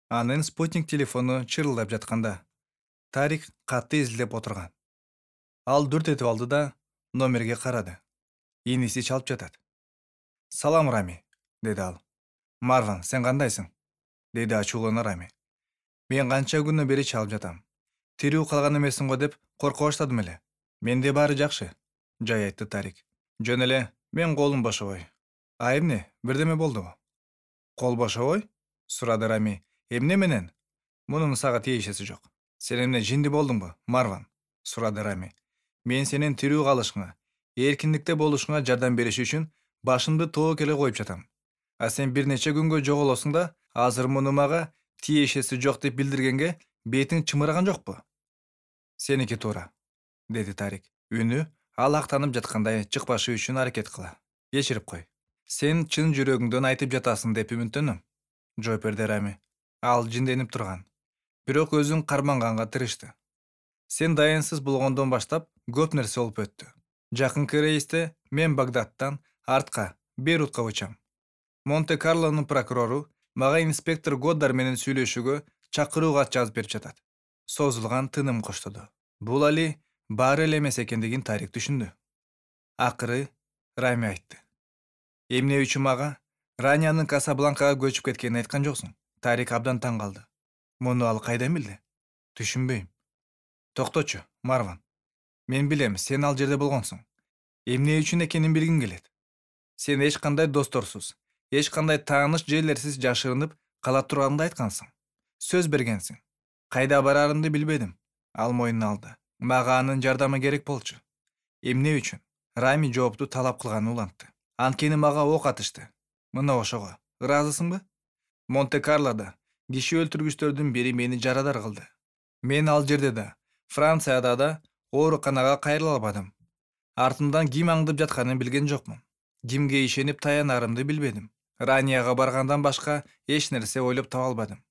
Анын спутник телефону чырылдап жатканда Тарик катты изилдеп отурган. Ал дүрт этип алды да номерге карады. Иниси чалып жатат. «Салам, Рами», деди ал. «Марван, сен кандайсың?» деди ачуулана Рами. «Мен канча күнү бери чалып жатам. Тирүү калган эмессиң го деп корко баштадым эле. Менде баары жакшы», жай айтты Тарик. «Жөн эле, мен колум бошобой». «А эмне, бирдеме болдубу?» «Кол бошобой?» сурады Рами. «Эмне менен?» «Мунун сага тиешеси жок». «Сен эмне жинди болдуңбу, Марван?» сурады Рами. «Мен сенин тирүү калышыңа, эркиндикте болушуңа жардам бериш үчүн башымды тоок эле коюп жатам. А сен бир нече күнгө жоголосуң да, азыр муну мага тиешеси жок деп билдиргенге бетиң чымыраган жокпу?» «Сеники туура», деди Тарик. Үнү ал актанып жаткандай чыкпашы үчүн аракет кыла. «Кечирип кой. Сен чын жүрөгүңдөн айтып жатасың деп үмүттөнөм», жооп берди Рами. Ал жинденип турган. Бирок өзүн карманганга тырышты. «Сен дайынсыз болгондон баштап көп нерсе болуп өттү. Жакынкы рейсте мен Багдадтан артка, Бейрутка учам. Монте-Карлонун прокурору мага инспектор Годдар менен сүйлөшүүгө чакыруу кат жазып берип жатат». Созулган тыным коштоду. Бул али баары эле эмес экендигин Тарик түшүндү. Акыры Рами айтты. «Эмне үчүн мага Ранянын Касабланкага көчүп кеткенин айткан жоксуң?» Тарик абдан таң калды. Муну ал кайдан билди? Түшүнбөйм. «Токточу, Марван. Мен билем, сен ал жерде болгонсуң. Эмне үчүн экенин билгим келет. Сен эч кандай досторсуз, эч кандай тааныш жерлерсиз жашырынып кала турганыңды айткансың. Сөз бергенсиң. Кайда барарымды билбедим». Ал мойнуна алды. «Мага анын жардамы керек болчу». «Эмне үчүн?» Рами жоопту талап кылганы улантты. «Анткени мага ок атышты. Мына ошого. Ыраазысыңбы? Монте-Карлода киши өлтүргүчтөрдүн бири мени жарадар кылды. Мен ал жерде да, Францияда да ооруканага кайрыла албадым. Артымдан ким аңдып жатканын билген жокмун. Кимге ишенип таянарымды билбедим. Ранияга баргандан башка эч нерсе ойлоп таба албадым.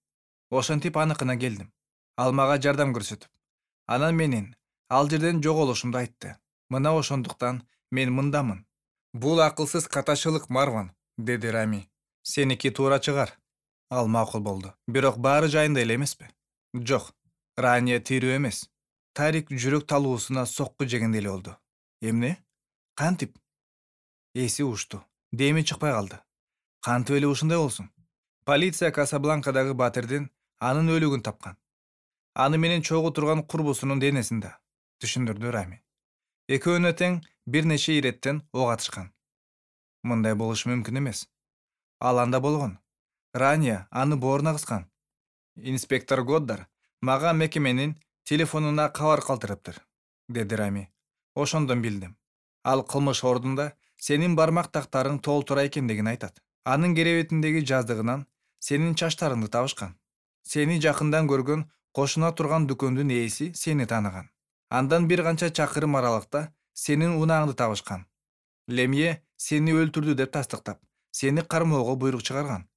Ошентип аныкына келдим. Ал мага жардам көрсөтүп, анан менин ал жерден жоголушумду айтты. Мына ошондуктан мен мындамын». «Бул акылсыз катачылык, Марван», деди Рами. «Сеники туура чыгар». Ал макул болду. «Бирок баары жайында эле эмеспи?» «Жок. Рания тирүү эмес». Тарик жүрөк талуусуна сокку жегендей эле болду. «Эмне? Кантип?» Эси ушту. Деми чыкпай калды. «Кантип эле ушундай болсун?» «Полиция Касабланкадагы батирдин анын өлүгүн тапкан. Аны менен чогуу турган курбусунун денесин да», түшүндүрдү Рами. «Экөөнө тең бир нече иреттен ок атышкан». «Мындай болушу мүмкүн эмес». «Ал анда болгон. Рания аны бооруна кыскан. Инспектор Годдар мага мекеменин телефонуна кабар калтырыптыр», деди Рами. «Ошондон билдим. Ал кылмыш ордунда сенин бармак тактарың толтура экендигин айтат. Анын керебетиндеги жаздыгынан сенин чачтарыңды табышкан. Сени жакындан көргөн кошуна турган дүкөндүн ээси сени тааныган. Андан бир канча чакырым аралыкта сенин унааңды табышкан. Лемье сени өлтүрдү деп тастыктап, сени кармоого буйрук чыгарган.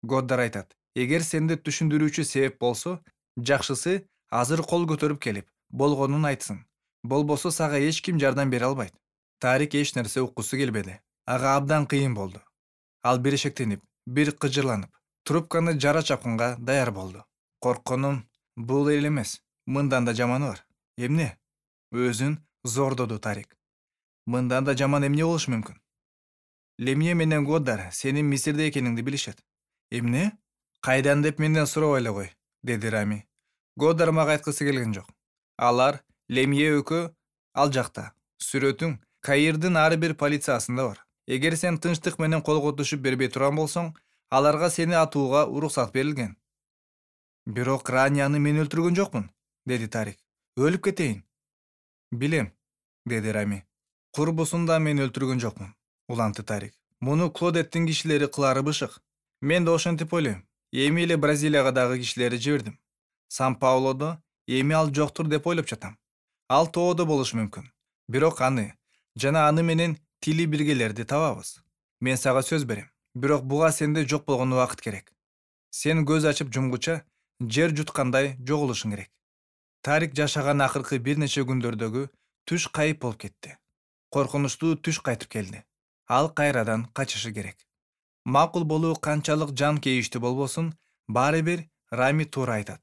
Годдар айтат, эгер сенде түшүндүрүүчү себеп болсо, жакшысы азыр кол көтөрүп келип, болгонун айтсын. Болбосо сага эч ким жардам бере албайт». Тарик эч нерсе уккусу келбеди. Ага абдан кыйын болду. Ал бир шектенип, бир кыжырланып, трубканы жара чапкынга даяр болду. «Коркконум бул эле эмес, мындан да жаманы бар». «Эмне?» Өзүн зордоду Тарик. «Мындан да жаман эмне болушу мүмкүн?» «Лемье менен Годдар сенин Мисирде экениңди билишет». «Эмне?» «Кайдан деп менден сурабай эле кой», деди Рами. «Годдар мага айткысы келген жок. Алар Лемье экөө ал жакта. Сүрөтүң Каирдин ар бир полициясында бар. Эгер сен тынчтык менен колго түшүп бербей турган болсоң, аларга сени атууга уруксат берилген». «Бирок Ранияны мен өлтүргөн жокмун», деди Тарик. «Өлүп кетейин». «Билем», деди Рами. «Курбусун да мен өлтүргөн жокмун», уланты Тарик. «Муну Клодеттин кишилери кылары бышык. Мен да ошентип ойлойм. Эми эле Бразилияга дагы кишилерди жибердим. Сан-Паулодо эми ал жоктур деп ойлоп жатам. Ал тоодо болушу мүмкүн. Бирок аны жана аны менен тили биргелерди табабыз. Мен сага сөз берем. Бирок буга сенде жок болгон убакыт керек. Сен көз ачып жумгуча жер жуткандай жоголушуң керек». Тарик жашаган акыркы бир нече күндөрдөгү түш кайып болуп кетти. Коркунучтуу түш кайтып келди. Ал кайрадан качышы керек. Макул болуу канчалык жан кейиштүү болбосун, баары бир Рами туура айтат.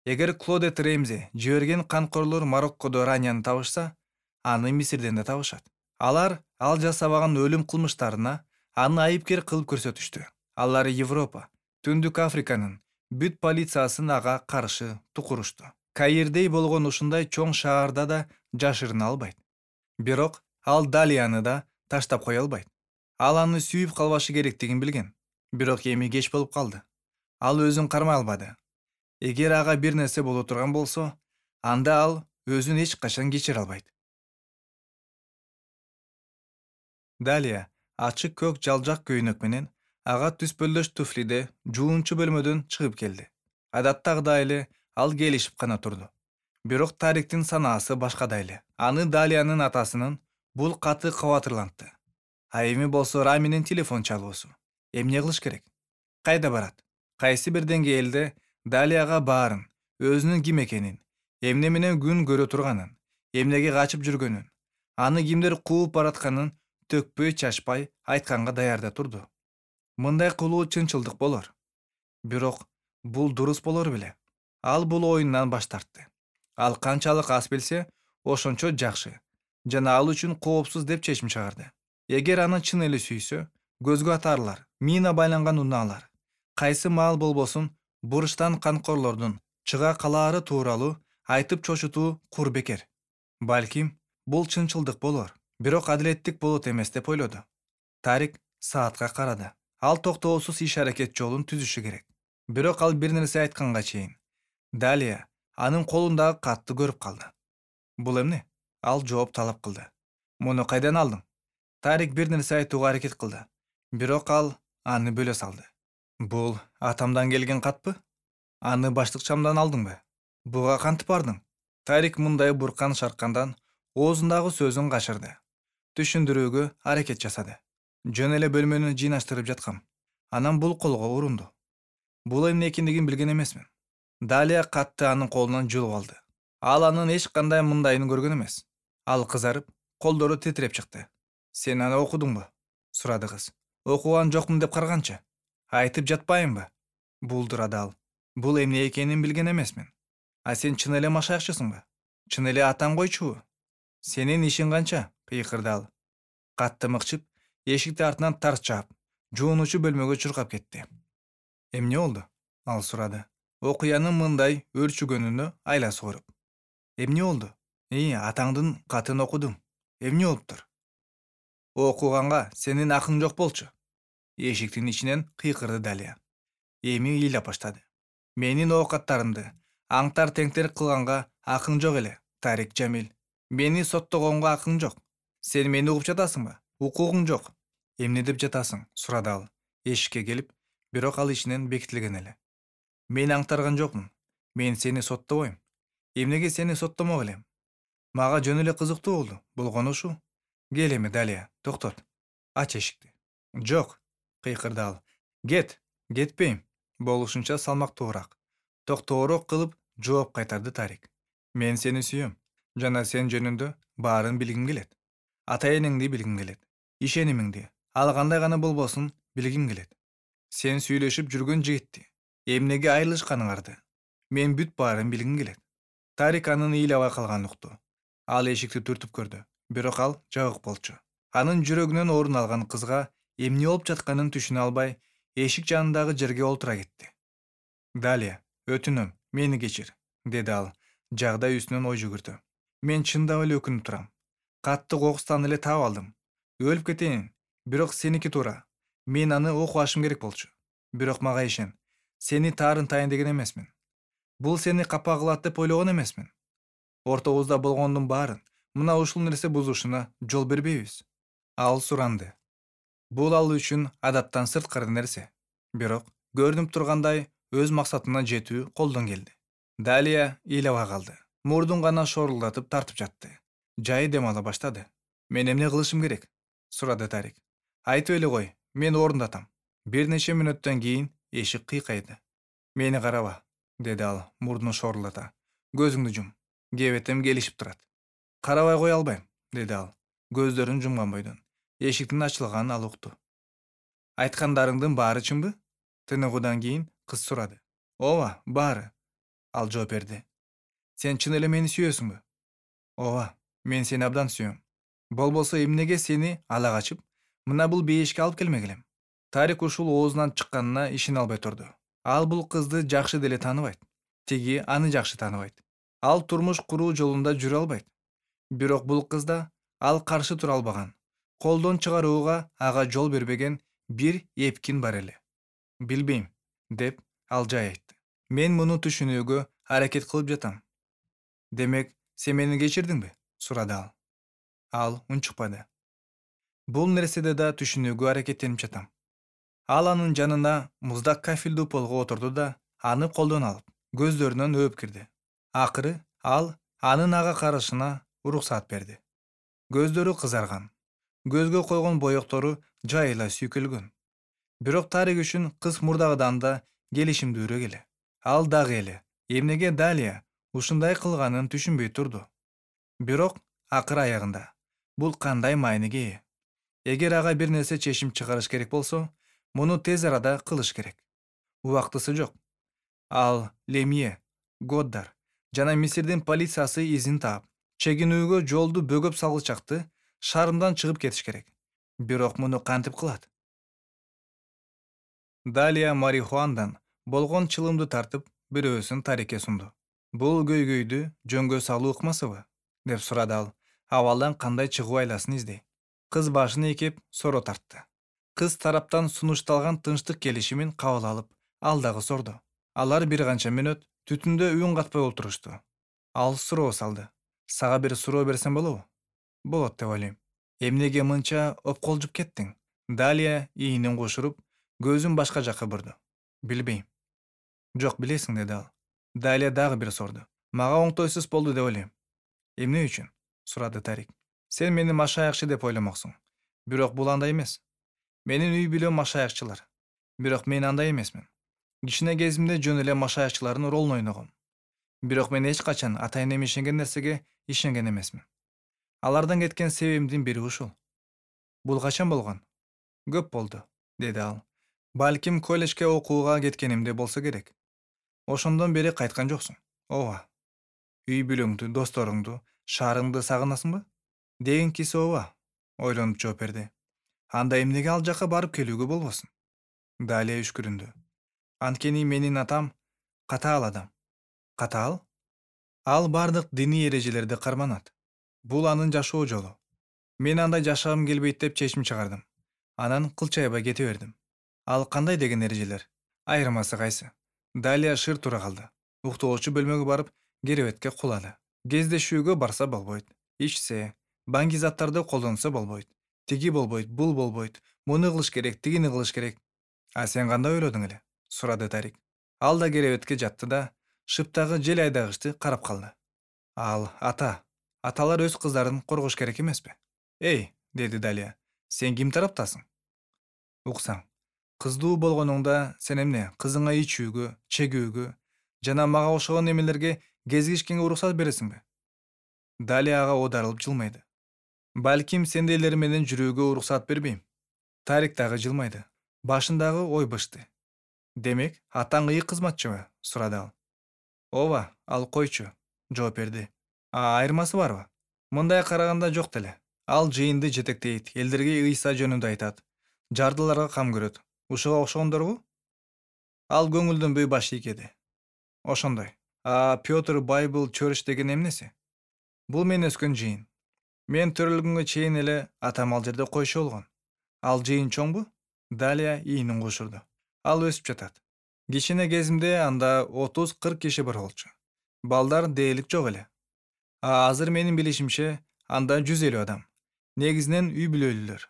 Эгер Клодет Ремзи жиберген канкорлор Мароккодо Ранияны табышса, аны Мисирден да табышат. Алар ал жасабаган өлүм кылмыштарына аны айыпкер кылып көрсөтүштү. Алар Европа, Түндүк Африканын бүт полициясын ага каршы тукурушту. Каирдей болгон ушундай чоң шаарда да жашырына албайт. Бирок ал Далияны да таштап кое албайт. Ал аны сүйүп калбашы керектигин билген. Бирок эми кеч болуп калды. Ал өзүн кармай албады. Эгер ага бир нерсе боло турган болсо, анда ал өзүн эч качан кечире албайт. Далия ачык көк жалжак көйнөк менен ага түспөлдөш туфлиде жуунчу бөлмөдөн чыгып келди. Адаттагыдай эле ал келишип гана турду. Бирок Тариктин санаасы башкада эле. Аны Далиянын атасынын бул каты кабатырлантты. А эми болсо Раминин телефон чалуусу. Эмне кылыш керек? Кайда барат? Кайсы бир деңгээлде Далияга баарын, өзүнүн ким экенин, эмне менен күн көрө турганын, эмнеге качып жүргөнүн, аны кимдер кууп баратканын төкпөй чачпай айтканга даярда турду. Мындай кылуу чынчылдык болор. Бирок бул дурус болор беле? Ал бул оюндан баш тартты. Ал канчалык аз билсе, ошончо жакшы жана ал үчүн коопсуз деп чечим чыгарды. Эгер аны чын эле сүйсө, көзгө атарлар, мина байланган унаалар, кайсы маал болбосун бурчтан канкорлордун чыга калаары тууралуу айтып чочутуу кур бекер. Балким бул чынчылдык болор, бирок адилеттик болот эмес деп ойлоду. Тарик саатка карады. Ал токтоосуз иш-аракет жолун түзүшү керек. Бирок ал бир нерсе айтканга чейин Далия анын колундагы катты көрүп калды. Бул эмне? Ал жооп талап кылды. Муну кайдан алдың? Тарик бир нерсе айтууга аракет кылды. Бирок ал аны бөлө салды. Бул атамдан келген катпы? Аны баштыкчамдан алдыңбы? Буга кантип бардың? Тарик мындай буркан шаркандан оозундагы сөзүн качырды. Түшүндүрүүгө аракет жасады. Жөн эле бөлмөнү жыйнаштырып жаткам. Анан бул колго урунду. Бул эмне экендигин билген эмесмин. Далия катты анын колунан жулуп алды. Ал анын эч кандай мындайын көргөн эмес. Ал кызарып, колдору титиреп чыкты. Сен аны окудуңбу? Сурады кыз. Окуган жокмун деп карганчы? Айтып жатпайынбы? Булдурады ал. Бул эмне экенин билген эмесмин. А сен чын эле машаякчысыңбы? Чын эле атаң койчубу? Сенин ишиң канча? Кыйкырды ал. Катты мыкчып, эшикти артынан тарс жаап, жуунуучу бөлмөгө чуркап кетти. Эмне болду? Ал сурады. Окуянын мындай өрчүгөнүнө айласы коруп. Эмне болду? Атаңдын катын окудум. Эмне болуптур? Окуганга сенин акың жок болчу. Эшиктин ичинен кыйкырды Далия. Эми ыйлап баштады. Менин оокаттарымды аңтар теңтер кылганга акың жок эле, Тарик Жамил. Мени соттогонго акың жок. Сен мени угуп жатасыңбы? Укугуң жок. Эмне деп жатасың? Сурады ал. Эшикке келип, бирок ал ичинен бекитилген эле. Мен аңтарган жокмун. Мен сени соттобойм. Эмнеге сени соттомок элем? Мага жөн эле кызыктуу болду. Болгону ушул. Кел эми, Далия, токтот. Ач эшикти. Жок, кыйкырды ал. Кет, кетпейм. Болушунча салмактуураак, токтоороок кылып жооп кайтарды Тарик. Мен сени сүйөм жана сен жөнүндө баарын билгим келет. Ата-энеңди билгим келет. Ишенимиңди, ал кандай гана болбосун, билгим келет. Сен сүйлөшүп жүргөн жигитти эмнеге айрылышканыңарды мен бүт баарын билгим келет. Тарик анын ыйлабай калганын укту. Ал эшикти түртүп көрдү, бирок ал жабык болчу. Анын жүрөгүнөн орун алган кызга эмне болуп жатканын түшүнө албай, эшик жанындагы жерге олтура кетти. Далия, өтүнөм, мени кечир, деди ал, жагдай үстүнөн ой жүгүрдү. Мен чындап эле өкүнүп турам. Катты кокустан эле таап алдым. Өлүп кетейин, бирок сеники туура. Мен аны окубашым керек болчу. Бирок мага ишен, сени таарын тайын деген эмесмин. Бул сени капа кылат деп ойлогон эмесмин. Ортобузда болгондун баарын мына ушул нерсе бузушуна жол бербейбиз. Ал суранды. Бул ал үчүн адаттан сырткары нерсе. Бирок көрүнүп тургандай өз максатына жетүү колдон келди. Далия ыйлабай калды. Мурдун гана шорулдатып тартып жатты. Жай дем ала баштады. Мен эмне кылышым керек? Сурады Тарик. Айтып эле кой, мен орундатам. Бир нече мүнөттөн кийин эшик кыйкайды. Мени караба, деди ал мурдун шорулдата. Көзүңдү жум. Кебетем келишип турат. Карабай кое албайм, деди ал, көздөрүн жумган бойдон. Эшиктин ачылганын ал укту. Айткандарыңдын баары чынбы? Тыныгуудан кийин кыз сурады. Ооба, баары. Ал жооп берди. Сен чын эле мени сүйөсүңбү? Ооба, мен сени абдан сүйөм. Болбосо эмнеге сени ала качып, мына бул бейишке алып келмек элем? Тарик ушул оозунан чыкканына ишене албай турду. Ал бул кызды жакшы деле тааныбайт. Тиги аны жакшы тааныбайт. Ал турмуш куруу жолунда жүрө албайт. Бирок бул кызда ал каршы тура албаган, колдон чыгарууга ага жол бербеген бир эпкин бар эле. Билбейм, деп ал жай айтты. Мен муну түшүнүүгө аракет кылып жатам. Демек, сен мени кечирдиңби? Сурады ал. Ал унчукпады. Бул нерседе да түшүнүүгө аракеттенип жатам. Ал анын жанына муздак кафелдүү полго отурду да, аны колдон алып, көздөрүнөн өөп кирди. Акыры ал анын ага карашына уруксаат берди. Көздөрү кызарган, көзгө койгон боектору жайыла сүйкөлгөн. Бирок Тарик үчүн кыз мурдагыдан да келишимдүүрөөк эле. Ал дагы эле эмнеге Далия ушундай кылганын түшүнбөй турду. Бирок акыр аягында бул кандай мааниге ээ? Эгер ага бир нерсе чечим чыгарыш керек болсо, муну тез арада кылыш керек. Убактысы жок. Ал Лемье, Годдар жана Мисирдин полициясы изин таап, чегинүүгө жолду бөгөп салгычакты шаарымдан чыгып кетиш керек. Бирок муну кантип кылат? Далия марихуандан болгон чылымды тартып, бирөөсүн Тарикке сунду. Бул көйгөйдү жөнгө салуу ыкмасыбы? Деп сурады ал, абалдан кандай чыгуу айласын издей. Кыз башын ийкеп соро тартты. Кыз тараптан сунушталган тынчтык келишимин кабыл алып, ал дагы сорду. Алар бир канча мүнөт түтүндө үн катпай олтурушту. Ал суроо салды. Сага бир суроо берсем болобу? Болот деп ойлойм. Эмнеге мынча опколжуп кеттиң? Далия ийинин кошуруп, көзүн башка жакка бурду. Билбейм. Жок, билесиң, деди ал. Далия дагы бир сорду. Мага оңтойсуз болду деп ойлойм. Эмне үчүн? Сурады Тарик. Сен мени машаякчы деп ойломоксуң. Бирок бул андай эмес. Менин үй бүлөм машаякчылар. Бирок мен андай эмесмин. Кичине кезимде жөн эле машаякчылардын ролун ойногом. Бирок мен эч качан ата-энем ишенген нерсеге ишенген эмесмин. Алардан кеткен себебимдин бири ушул. Бул качан болгон? Көп болду, деди ал. Балким колледжге окууга кеткенимде болсо керек. Ошондон бери кайткан жоксуң. Ооба. Үй бүлөңдү, досторуңду, шаарыңды сагынасыңбы? Дегенкиси ооба, ойлонуп жооп берди. Анда эмнеге ал жака барып келүүгө болбосун? Далия үшкүрүндү. Анткени менин атам катаал адам. Катаал? Ал бардык диний эрежелерди карманат. Бул анын жашоо жолу. Мен андай жашагым келбейт деп чечим чыгардым. Анан кылчайбай кете бердим. Ал кандай деген эрежелер? Айырмасы кайсы? Далия шыр тура калды. Уктоочу бөлмөгө барып, керебетке кулады. Кездешүүгө барса болбойт. Ичсе, баңги заттарды колдонсо болбойт. Тиги болбойт, бул болбойт. Муну кылыш керек, тигини кылыш керек. А сен кандай ойлодуң эле? Сурады Тарик. Ал да керебетке жатты да, шыптагы жел айдагычты карап калды. Ал аталар өз кыздарын коргош керек эмеспи? Эй, деди Далия. Сен ким тараптасың? Уксаң. Кыздуу болгонуңда сен эмне, кызыңа ичүүгө, чегүүгө жана мага окшогон эмелерге кезигишкенге уруксат бересиңби? Далия ага оодарылып жылмайды. Балким сендейлер менен жүрүүгө уруксат бербейм. Тарик дагы жылмайды. Башындагы ой бышты. Демек, атаң ыйык кызматчыбы? Сурады ал. Ооба, ал койчу, жооп берди. Айырмасы барбы? Мындай караганда жок деле. Ал жыйынды жетектейт, элдерге Ыйса жөнүндө айтат, жардыларга кам көрөт. Ушуга окшогондорбу? Ал көңүлдөнбөй баш ийкеди. Ошондой. Пётр Байбл Church деген эмнеси? Бул мен өскөн жыйын. Мен төрөлгөнгө чейин эле атам ал жерде койчу болгон. Ал жыйын чоңбу? Далия ийинин кошурду. Ал өсүп жатат. Кичине кезимде анда 30-40 киши бар болчу. Балдар дээрлик жок эле. Азыр менин билишимче анда 150 адам. Негизинен үй бүлөлүүлөр,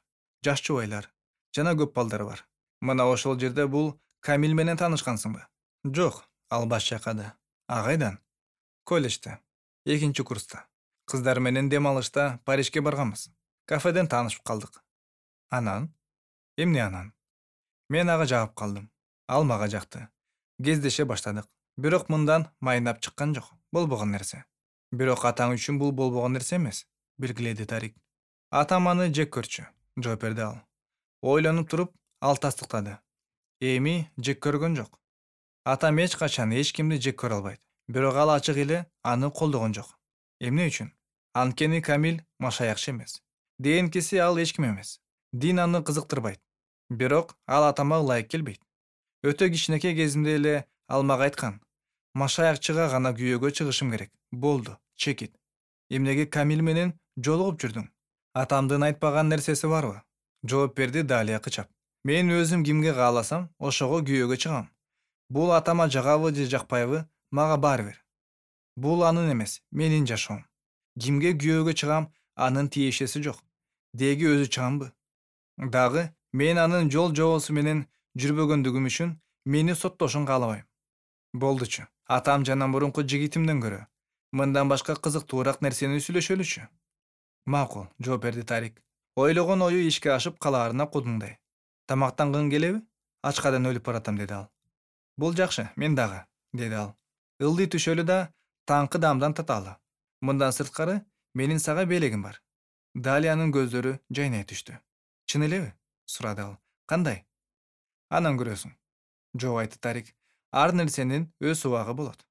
жаш жубайлар жана көп балдар бар. Мына ошол жерде бул Камил менен таанышкансыңбы? Жок, ал баш чайкады. Кайдан? Колледжде, 2-курста. Кыздар менен дем алышта Парижге барганбыз. Кафеден таанышып калдык. Анан? Эмне анан? Мен ага жагып калдым. Ал мага жакты. Кездеше баштадык. Бирок мындан майнап чыккан жок. Болбогон нерсе. Бирок атаң үчүн бул болбогон нерсе эмес, белгиледи Тарик. Атам аны жек көрчү, жооп берди ал. Ойлонуп туруп, ал тастыктады. Эми жек көргөн жок. Атам эч качан эч кимди жек көрө албайт. Бирок ал ачык эле аны колдогон жок. Эмне үчүн? Анткени Камил машаякчы эмес. Дээнкиси ал эч ким эмес. Дин аны кызыктырбайт. Бирок ал атама ылайык келбейт. Өтө кичинекей кезимде эле ал мага айткан: машаякчыга гана күйөөгө чыгышым керек. Болду, чекит. Эмнеге Камил менен жолугуп жүрдүң? Атамдын айтпаган нерсеси барбы? Жооп берди Далия кычап. Мен өзүм кимге кааласам, ошого күйөөгө чыгам. Бул атама жагабы же жакпайбы, мага баары бир. Бул анын эмес, менин жашоом. Кимге күйөөгө чыгам, анын тиешеси жок. Деги өзү чыгамбы? Дагы мен анын жол жобосу менен жүрбөгөндүгүм үчүн мени соттошун каалабайм. Болдучу. Атам жана мурунку жигитимден көрө мындан башка кызыктуураак нерсени сүйлөшөлүчү. Макул, жооп берди Тарик. Ойлогон ою ишке ашып калаарына кудуңдай. Тамактангың келеби? Ачкадан өлүп баратам, деди ал. Бул жакшы, мен дагы, деди ал. Ылдый түшөлү да таңкы дамдан таталы. Мындан сырткары менин сага белегим бар. Далиянын көздөрү жайнай түштү. Чын элеби? Сурады ал. Кандай? Анан көрөсүң. Жооп айтты Тарик. Ар нерсенин өз убагы болот.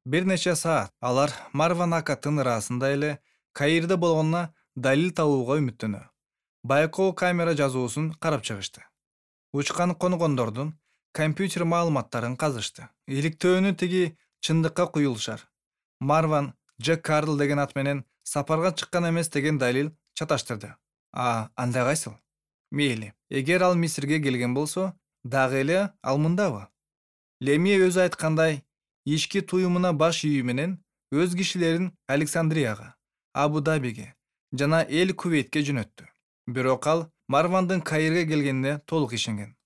Бир нече саат алар Марван Акаттын ырасында эле Каирде болгонуна далил табууга үмүттөнө. Байкоо камера жазуусун карап чыгышты. Учкан коногондордун компьютер маалыматтарын казышты. Иликтөөнү тиги чындыкка куюлушар. Марван Джек Карл деген ат менен сапарга чыккан эмес деген далил чаташтырды. Андай кайсыл? Мейли. Эгер ал Мисирге келген болсо, дагы эле ал мындабы? Лемие өзү айткандай, ички туюмуна баш ийүү менен өз кишилерин Александрияга, Абу-Дабиге жана Эл Кувейтке жөнөттү. Бирок ал Марвандын Каирге келгенине толук ишенген.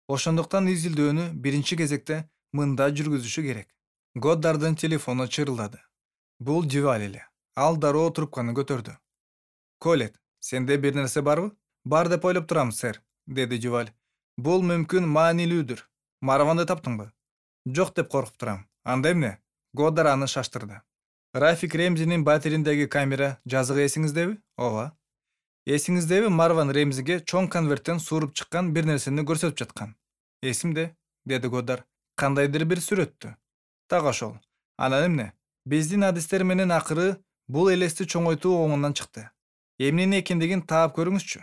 Ошондуктан изилдөөнү биринчи кезекте мында жүргүзүшү керек. Годдардын телефону чырылдады. Бул Дюваль эле. Ал дароо трубканы көтөрдү. Колет, сенде бир нерсе барбы? Бар деп ойлоп турам, сэр, деди Дюваль. Бул мүмкүн маанилүүдүр. Марванды таптыңбы? Жок деп коркуп турам. Анда эмне? Годдар аны шаштырды. Рафик Ремзинин батириндеги камера жазыгы эсиңиздеби? Ооба. Эсиңиздеби Марван Ремзиге чоң конверттен сууруп чыккан бир нерсени көрсөтүп жаткан? Эсимде, деди Годдар. Кандайдыр бир сүрөттү. Так ошол. Анан эмне? Биздин адистер менен акыры бул элести чоңойтуу оңунан чыкты. Эмнени экендигин таап көрүңүзчү.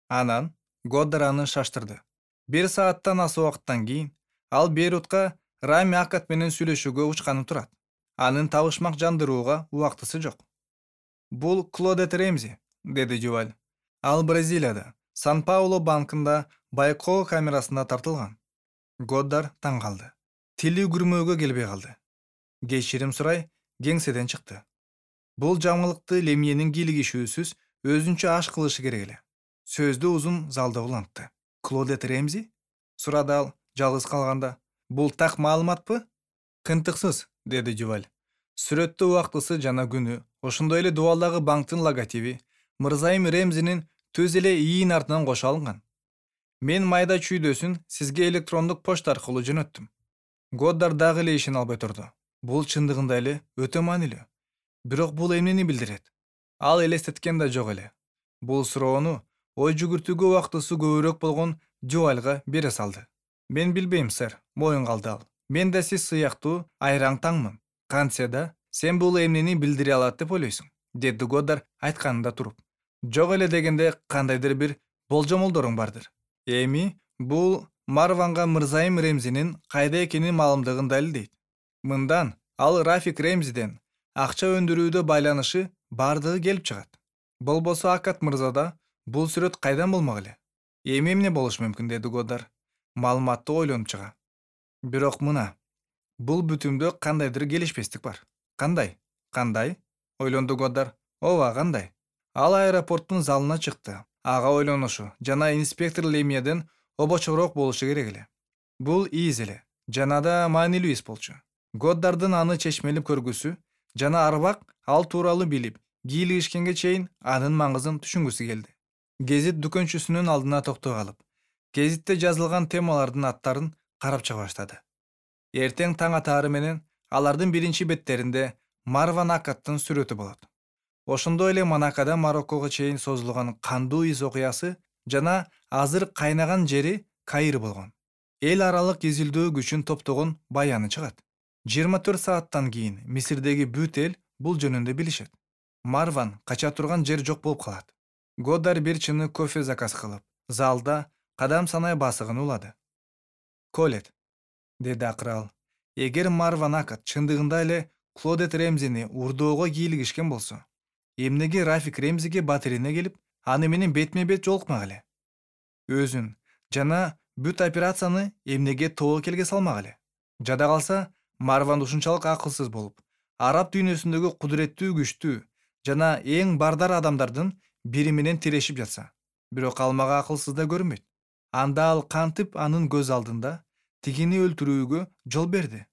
Анан Годдар аны шаштырды. 1 сааттан аса убакыттан кийин ал Бейрутка Рами Акат менен сүйлөшүүгө учканы турат. Анын табышмак жандырууга убактысы жок. Бул Клодет Ремзи, деди Дюваль. Ал Бразилияда, Сан-Пауло банкында байкоо камерасына тартылган. Годдар таң калды. Тили күрмөөгө келбей калды. Кечирим сурай, кеңседен чыкты. Бул жаңылыкты Лемиенин кийлигишүүсүз өзүнчө аш кылышы керек эле. Сөздү узун залда улантты. Клодет Ремзи? Сурады ал, жалгыз калганда. Бул так маалыматпы? Кынтыксыз, деди Дюваль. Сүрөттө убактысы жана күнү, ошондой эле дубалдагы банктын логотиби Мырзайым Ремзинин төз эле ийин артынан кошо алынган. Мен майда чүйдөсүн сизге электрондук почта аркылуу жөнөттүм. Годдар дагы эле ишене албай турду. Бул чындыгында эле өтө маанилүү. Бирок бул эмнени билдирет? Ал элестеткен да жок эле. Бул суроону ой жүгүртүүгө убактысы көбүрөөк болгон Дювальга бере салды. Мен билбейм, сэр, моюн калды ал. Мен да сиз сыяктуу айраң таңмын. Кантсе да, сен бул эмнени билдире алат деп ойлойсуң, деди Годдар айтканында туруп. Жок эле дегенде кандайдыр бир болжомолдоруң бардыр. Эми бул Марванга Мырзайым Ремзинин кайда экенин маалымдыгын далилдейт. Мындан ал Рафик Ремзиден акча өндүрүүдө байланышы бардыгы келип чыгат. Болбосо Акат мырзада бул сүрөт кайдан болмок эле? Эми эмне болушу мүмкүн, деди Годдар. Маалыматты ойлонуп чыга. Бирок мына, бул бүтүмдө кандайдыр келишпестик бар. Кандай? Кандай? Ойлонду Годдар. Ооба, кандай? Ал аэропорттун залына чыкты. Ага ойлонушу жана инспектор Лемиеден обочуроок болушу керек эле. Бул ийиз эле жана да маанилүү иш болчу. Годдардын аны чечмелип көргүсү жана арбак ал тууралуу билип, кийлигишкенге чейин анын маңызын түшүнгүсү келди. Гезит дүкөнчүсүнүн алдына токтой калып, гезитте жазылган темалардын аттарын карап чыга баштады. Эртең таң атаары менен алардын биринчи беттеринде Марван Акаттын сүрөтү болот. Ошондой эле Монакода Мароккого чейин созулган кандуу из окуясы жана азыр кайнаган жери Каир болгон. эл аралык изилдөө күчүн топтогон баяны чыгат. 24 сааттан кийин Мисирдеги бүт эл бул жөнүндө билишет. Марван кача турган жер жок болуп калат. Годар бир чыны кофе заказ кылып, залда кадам санай басыгын улады. «Колет», деди акыры ал, эгер Марван Акат чындыгында эле Клодет Ремзини урдоого кийлигишкен болсо, эмнеге Рафик Ремзиге батирине келип, аны менен бетме бет жолукмак эле? Өзүн жана бүт операцияны эмнеге тобокелге салмак эле? Жада калса, Марван ушунчалык акылсыз болуп, араб дүйнөсүндөгү кудуреттүү, күчтүү жана эң бардар адамдардын бири менен тирешип жатса, бирок ал мага акылсыз да көрүнбөйт. Анда ал кантип анын көз алдында тигини өлтүрүүгө жол берди?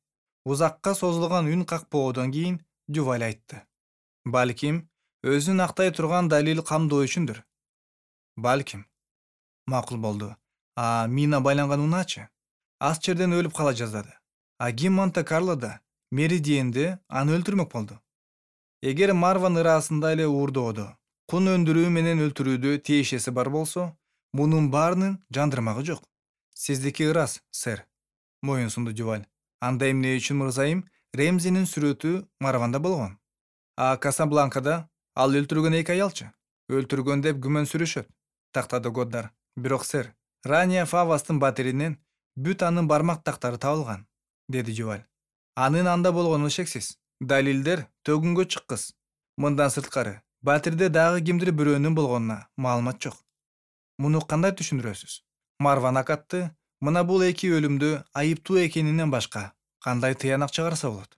Узакка созулган үн какпоодон кийин Дюваль айтты. Балким, өзүн актай турган далил камдоо үчүндүр. Балким. Макул болду. Мина байланган унаачы? Аз жерден өлүп кала жаздады. Ким Монте-Карлода Меридиенде аны өлтүрмөк болду? Эгер Марван ыраасында эле уурдоодо кун өндүрүү менен өлтүрүүдө тиешеси бар болсо, мунун баарынын жандырмагы жок. Сиздики ырас, сэр. Моюн сунду Дюваль. Анда эмне үчүн мырзайым Ремзинин сүрөтү Марванда болгон? Касабланкада ал өлтүргөн эки аялчы? Өлтүргөн деп күмөн сүрүшөт, тактады Годдар. Бирок сэр, Рания Фавастын батиринен бүт анын бармак тактары табылган, деди Дюваль. Анын анда болгону шексиз. Далилдер төгүнгө чыккыс. Мындан сырткары, батирде дагы кимдир бирөөнүн болгонуна маалымат жок. Муну кандай түшүндүрөсүз? Марван Акатты мына бул эки өлүмдө айыптуу экенинен башка кандай тыянак чыгарса болот?